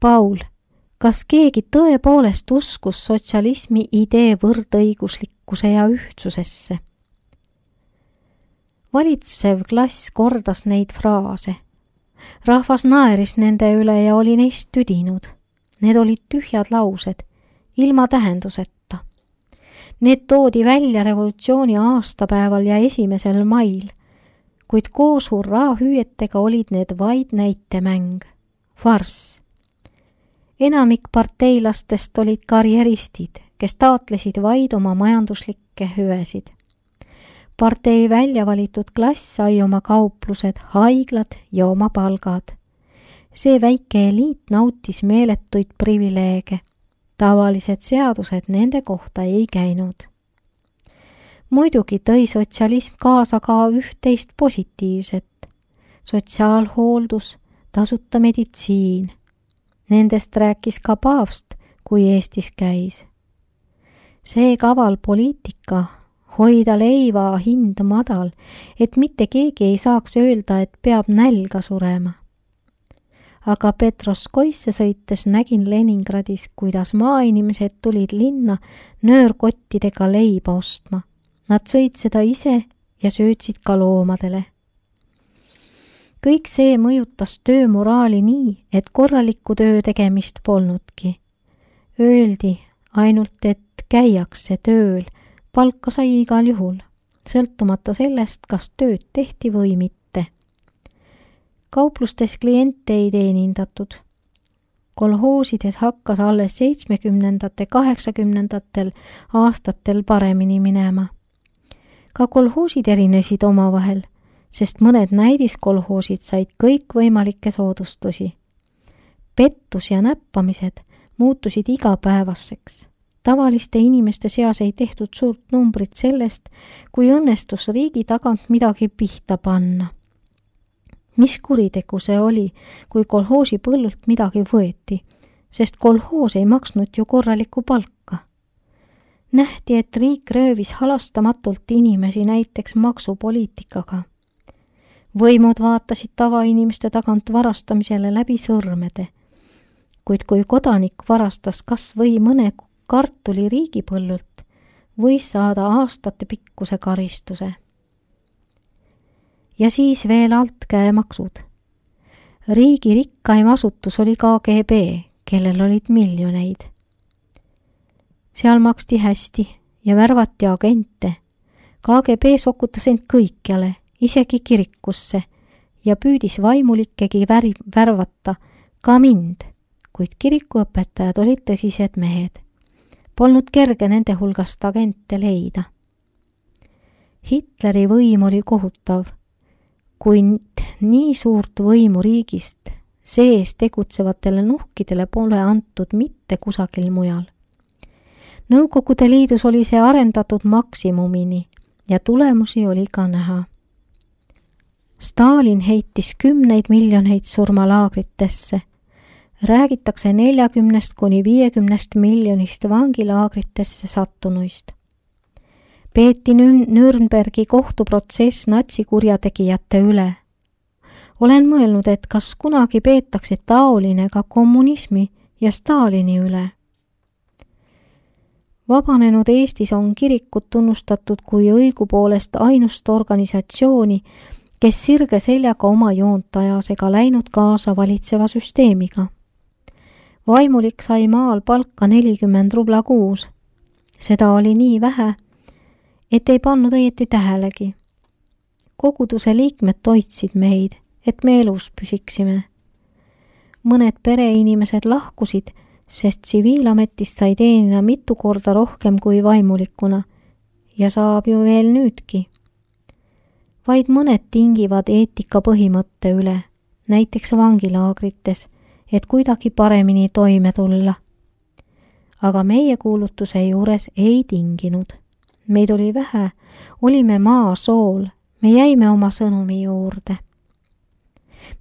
Paul, kas keegi tõepoolest uskus sotsialismi idee võrdõiguslikkuse ja ühtsusesse? Valitsev klass kordas neid fraase. Rahvas naeris nende üle ja oli neist tüdinud. Need olid tühjad laused, ilma tähenduseta. Need toodi välja revolutsiooni aastapäeval ja 1. mail, kuid koos hurraahüüetega olid need vaid näitemäng, farss. Enamik parteilastest olid karjeristid, kes taotlesid vaid oma majanduslikke hüvesid. Partei väljavalitud klass sai oma kauplused, haiglad ja oma palgad. See väike eliit nautis meeletuid privileege. Tavalised seadused nende kohta ei käinud. Muidugi tõi sotsialism kaasa ka üht-teist positiivset. Sotsiaalhooldus, tasuta meditsiin. Nendest rääkis ka paavst, kui Eestis käis. See kaval poliitika, hoida leiva hind madal, et mitte keegi ei saaks öelda, et peab nälga surema. Aga Petroskoisse sõites nägin Leningradis, kuidas maainimesed tulid linna nöörkottidega leiba ostma. Nad sõid seda ise ja söötsid ka loomadele. Kõik see mõjutas töömoraali nii, et korralikku töö tegemist polnudki. Öeldi ainult, et käiakse tööl, palka sai igal juhul, sõltumata sellest, kas tööd tehti või mitte. Kauplustes kliente ei teenindatud. Kolhoosides hakkas alles 70. 80. aastatel paremini minema. Ka kolhoosid erinesid omavahel, sest mõned näidiskolhoosid said kõikvõimalikke soodustusi. Pettus ja näppamised muutusid igapäevaseks. Tavaliste inimeste seas ei tehtud suurt numbrit sellest, kui õnnestus riigi tagant midagi pihta panna. Mis kuritegu see oli, kui kolhoosi põllult midagi võeti, sest kolhoos ei maksnud ju korralikku palka. Nähti, et riik röövis halastamatult inimesi näiteks maksupoliitikaga. Võimud vaatasid tavainimeste tagant varastamisele läbi sõrmede, kuid kui kodanik varastas kas või mõne kartuli riigipõllult, võis saada aastate pikkuse karistuse. Ja siis veel altkäemaksud. Riigi rikkaim asutus oli KGB, kellel olid miljoneid. Seal maksti hästi ja värvati agente. KGB sokutas end kõikjale, isegi kirikusse, ja püüdis vaimulikkegi värvata, ka mind, kuid kirikuõpetajad olid tõsised mehed. Polnud kerge nende hulgast agente leida. Hitleri võim oli kohutav. Kui nii suurt võimu riigist sees tegutsevatele nuhkidele pole antud mitte kusagil mujal. Nõukogude Liidus oli see arendatud maksimumini ja tulemusi oli ka näha. Stalin heitis 10 miljoneid surmalaagritesse. Räägitakse 40 kuni 50 miljonist vangilaagritesse sattunuist. Peeti Nürnbergi kohtuprotsess natsikurjategijate üle. Olen mõelnud, et kas kunagi peetakse taoline ka kommunismi ja Stalini üle. Vabanenud Eestis on kirikut tunnustatud kui õigupoolest ainust organisatsiooni, kes sirge seljaga oma joont ajas ega läinud kaasa valitseva süsteemiga. Vaimulik sai maal palka 40 rubla kuus. Seda oli nii vähe, et ei pannud õieti tähelegi. Koguduse liikmed toitsid meid, et me elus püsiksime. Mõned pereinimesed lahkusid, sest tsiviilametist sai teenida mitu korda rohkem kui vaimulikuna ja saab ju veel nüüdki. Vaid mõned tingivad eetika põhimõtte üle, näiteks vangilaagrites, et kuidagi paremini toime tulla. Aga meie kuulutuse juures ei tinginud. Meid oli vähe, olime maasool, me jäime oma sõnumi juurde.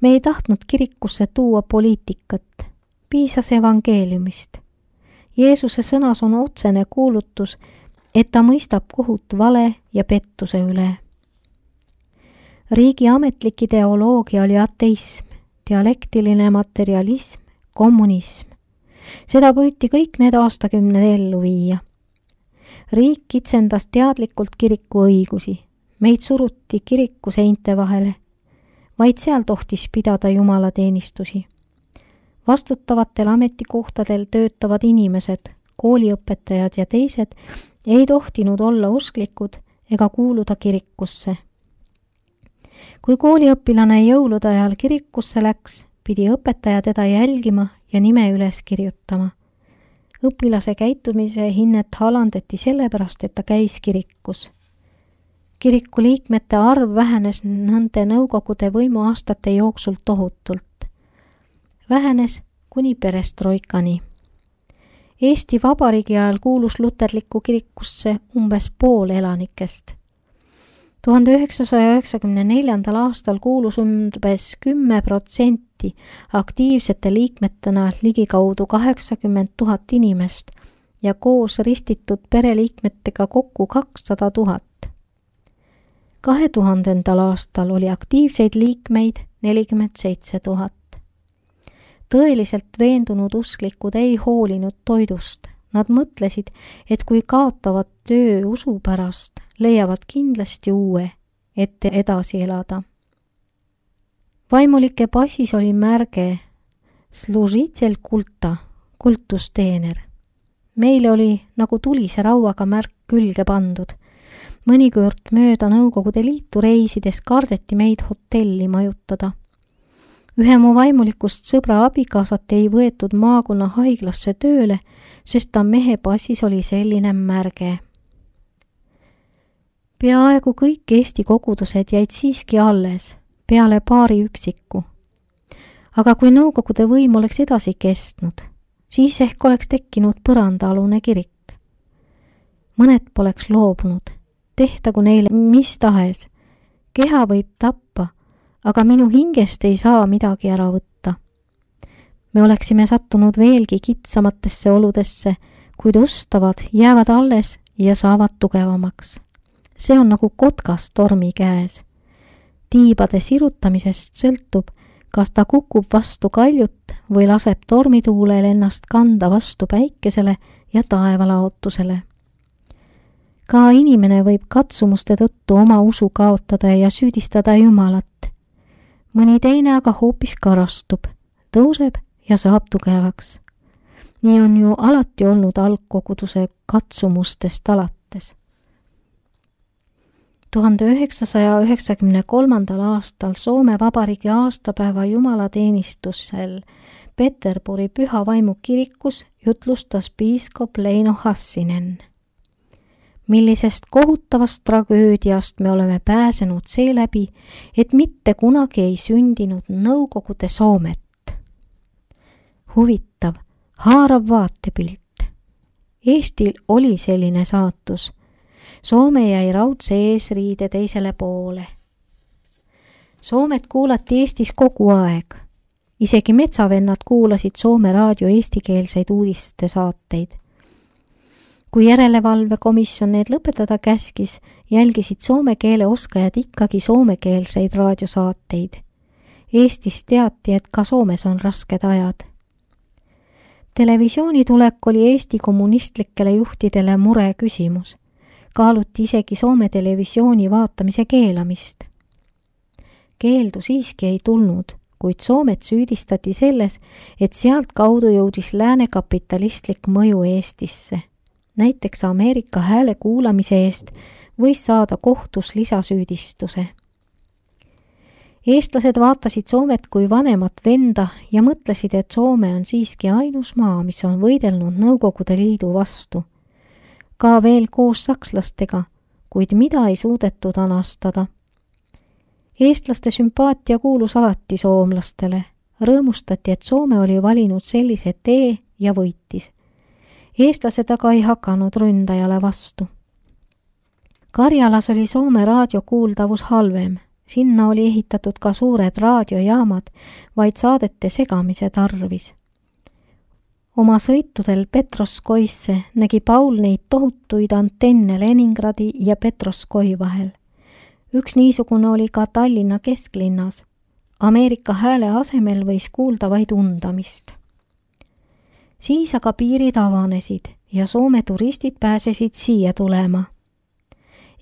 Me ei tahtnud kirikusse tuua poliitikat, piisas evangeeliumist. Jeesuse sõnas on otsene kuulutus, et ta mõistab kohut vale ja pettuse üle. Riigi ametlik ideoloogia oli ateism, dialektiline materialism, kommunism. Seda püüti kõik need aastakümned ellu viia. Riik kitsendas teadlikult kiriku õigusi. Meid suruti kiriku seinte vahele. Vaid seal tohtis pidada jumalateenistusi. Vastutavatel ametikohtadel töötavad inimesed, kooliõpetajad ja teised ei tohtinud olla usklikud ega kuuluda kirikusse. Kui kooliõpilane jõulude ajal kirikusse läks, pidi õpetaja teda jälgima ja nime üles kirjutama. Õpilase käitumise hinnet alandati sellepärast, et ta käis kirikus. Kiriku liikmete arv vähenes nende nõukogude võimuaastate jooksul tohutult. Vähenes kuni perestroikani. Eesti Vabariigi ajal kuulus luterlikku kirikusse umbes pool elanikest. 1994. aastal kuulus umbes 10% aktiivsete liikmetena ligikaudu 80 000 inimest ja koos ristitud pereliikmetega kokku 200 000. 2000. aastal oli aktiivseid liikmeid 47 000. Tõeliselt veendunud usklikud ei hoolinud toidust. Nad mõtlesid, et kui kaotavad töö usu pärast, leiavad kindlasti uue, et edasi elada. Vaimulike passis oli märge Služitelj kulta, kultusteener. Meile oli nagu tulise rauaga märk külge pandud. Mõnikord mööda Nõukogude Liitu reisides kardeti meid hotelli majutada. Ühe mu vaimulikust sõbra abikaasat ei võetud maakonna haiglasse tööle, sest ta mehe passis oli selline märge. Peaaegu kõik Eesti kogudused jäid siiski alles, peale paari üksiku. Aga kui Nõukogude võim oleks edasi kestnud, siis ehk oleks tekkinud põrandaalune kirik. Mõned poleks loobunud, tehtagu neile mis tahes. Keha võib tappa, aga minu hingest ei saa midagi ära võtta. Me oleksime sattunud veelgi kitsamatesse oludesse, kuid ustavad jäävad alles ja saavad tugevamaks. See on nagu kotkas tormi käes. Tiibade sirutamisest sõltub, kas ta kukub vastu kaljut või laseb tormituulel ennast kanda vastu päikesele ja taevalaotusele. Ka inimene võib katsumuste tõttu oma usu kaotada ja süüdistada Jumalat. Mõni teine aga hoopis karastub, tõuseb ja saab tugevaks. Nii on ju alati olnud algkoguduse katsumustest alates. 1993. aastal Soome Vabariigi aastapäeva jumalateenistusel Peterburi Püha Vaimu kirikus jutlustas piiskop Leino Hassinen. Millisest kohutavast tragöödiast me oleme pääsenud seeläbi, et mitte kunagi ei sündinud Nõukogude Soomet. Huvitav, haarav vaatepilt. Eestil oli selline saatus. Soome jäi raudse eesriide teisele poole. Soomet kuulati Eestis kogu aeg. Isegi metsavennad kuulasid Soome raadio eestikeelseid uudiste saateid. Kui järelevalvekomisjon need lõpetada käskis, jälgisid soome keele oskajad ikkagi soomekeelseid raadiosaateid. Eestis teati, et ka Soomes on rasked ajad. Televisiooni tulek oli Eesti kommunistlikele juhtidele mure küsimus. Kaaluti isegi Soome televisiooni vaatamise keelamist. Keeldu siiski ei tulnud, kuid Soomet süüdistati selles, et sealt kaudu jõudis lääne kapitalistlik mõju Eestisse. Näiteks Ameerika hääle kuulamise eest võis saada kohtus lisasüüdistuse. Eestlased vaatasid Soomet kui vanemat venda ja mõtlesid, et Soome on siiski ainus maa, mis on võidelnud Nõukogude Liidu vastu. Ka veel koos sakslastega, kuid mida ei suudetud anastada. Eestlaste sümpaatia kuulus alati soomlastele. Rõõmustati, et Soome oli valinud sellise tee ja võitis. Eestlased aga ei hakanud ründajale vastu. Karjalas oli Soome raadiokuuldavus halvem. Sinna oli ehitatud ka suured raadiojaamad, vaid saadete segamise tarvis. Oma sõitudel Petroskoisse nägi Paul neid tohutuid antenne Leningradi ja Petroskoi vahel. Üks niisugune oli ka Tallinna kesklinnas. Ameerika hääle asemel võis kuulda vaid undamist. Siis aga piirid avanesid ja Soome turistid pääsesid siia tulema.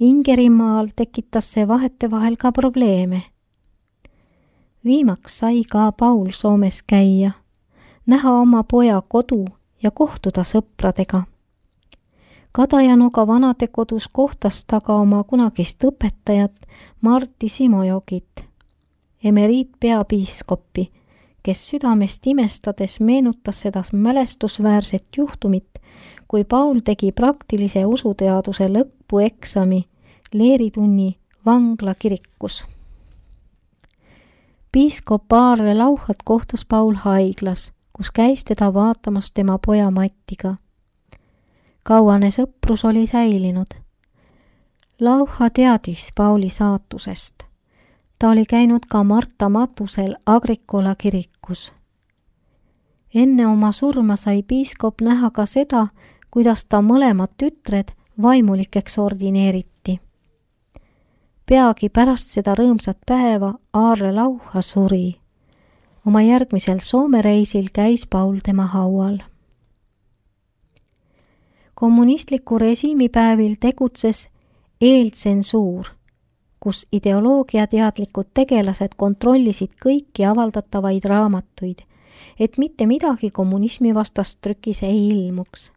Ingerimaal tekitas see vahetevahel ka probleeme. Viimaks sai ka Paul Soomes käia, näha oma poja kodu ja kohtuda sõpradega. Kadajanoga vanadekodus kohtas ta ka oma kunagist õpetajat Martti Simojokit, emeriitpeapiiskoppi, kes südamest imestades meenutas seda mälestusväärset juhtumit, kui Paul tegi praktilise usuteaduse lõpueksami leeritunni vangla kirikus. Piiskop Aarle Lauhat kohtas Paul haiglas, kus käis teda vaatamas tema poja Mattiga. Kauane sõprus oli säilinud. Lauha teadis Pauli saatusest. Ta oli käinud ka Marta matusel Agricola kirikus. Enne oma surma sai piiskop näha ka seda, kuidas ta mõlemad tütred vaimulikeks ordineeriti. Peagi pärast seda rõõmsat päeva Aarle Lauha suri. Oma järgmisel Soome reisil käis Paul tema haual. Kommunistliku režiimipäevil tegutses eeltsensuur, kus ideoloogiateadlikud tegelased kontrollisid kõiki avaldatavaid raamatuid, et mitte midagi kommunismi vastast trükis ei ilmuks.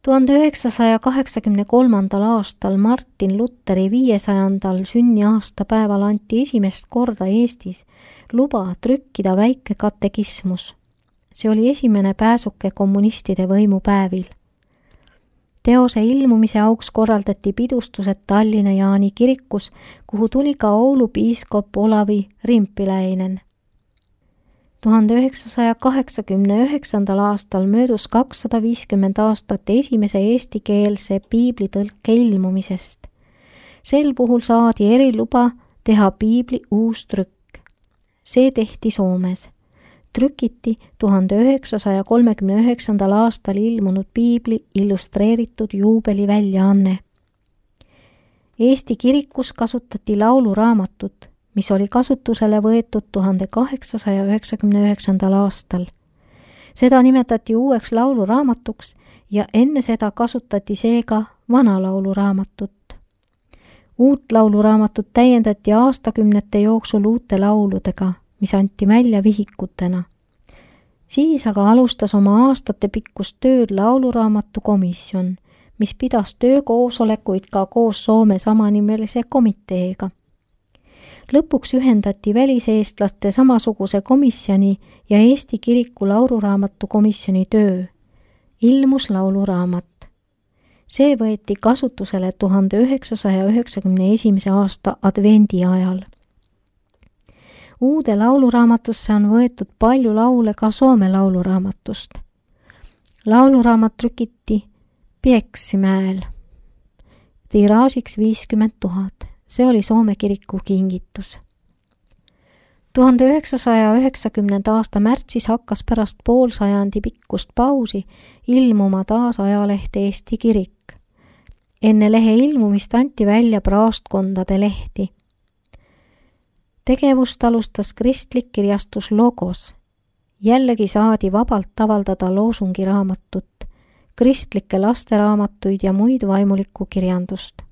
1983. aastal Martin Lutheri 500. sünniaastapäeval anti esimest korda Eestis luba trükkida väike katekismus. See oli esimene pääsuke kommunistide võimupäevil. Teose ilmumise auks korraldati pidustused Tallinna Jaani kirikus, kuhu tuli ka Oulu piiskop Olavi Rimpiläinen. 1989. aastal möödus 250 aastat esimese eestikeelse piiblitõlke ilmumisest. Sel puhul saadi eriluba teha piibli uus trükk. See tehti Soomes. Trükiti 1939. aastal ilmunud piibli illustreeritud juubeliväljaanne. Eesti kirikus kasutati lauluraamatut, mis oli kasutusele võetud 1899. aastal. Seda nimetati uueks lauluraamatuks ja enne seda kasutati seega vana lauluraamatut. Uut lauluraamatut täiendati aastakümnete jooksul uute lauludega, mis anti välja vihikutena. Siis aga alustas oma aastatepikkust tööd lauluraamatu komisjon, mis pidas töökoosolekuid ka koos Soome samanimelise komiteega. Lõpuks ühendati väliseestlaste samasuguse komisjoni ja Eesti kiriku lauluraamatu komisjoni töö. Ilmus lauluraamat. See võeti kasutusele 1991. aasta advendi ajal. Uude lauluraamatusse on võetud palju laule ka Soome lauluraamatust. Lauluraamat trükiti Pieksimäel. Tiraažiks 50 000. See oli Soome kiriku kingitus. 1990. aasta märtsis hakkas pärast poolsajandi pikkust pausi ilmuma taas ajaleht Eesti kirik. Enne lehe ilmumist anti välja praostkondade lehti. Tegevust alustas kristlik kirjastus Logos. Jällegi saadi vabalt avaldada loosungiraamatut, kristlikke lasteraamatuid ja muid vaimulikku kirjandust.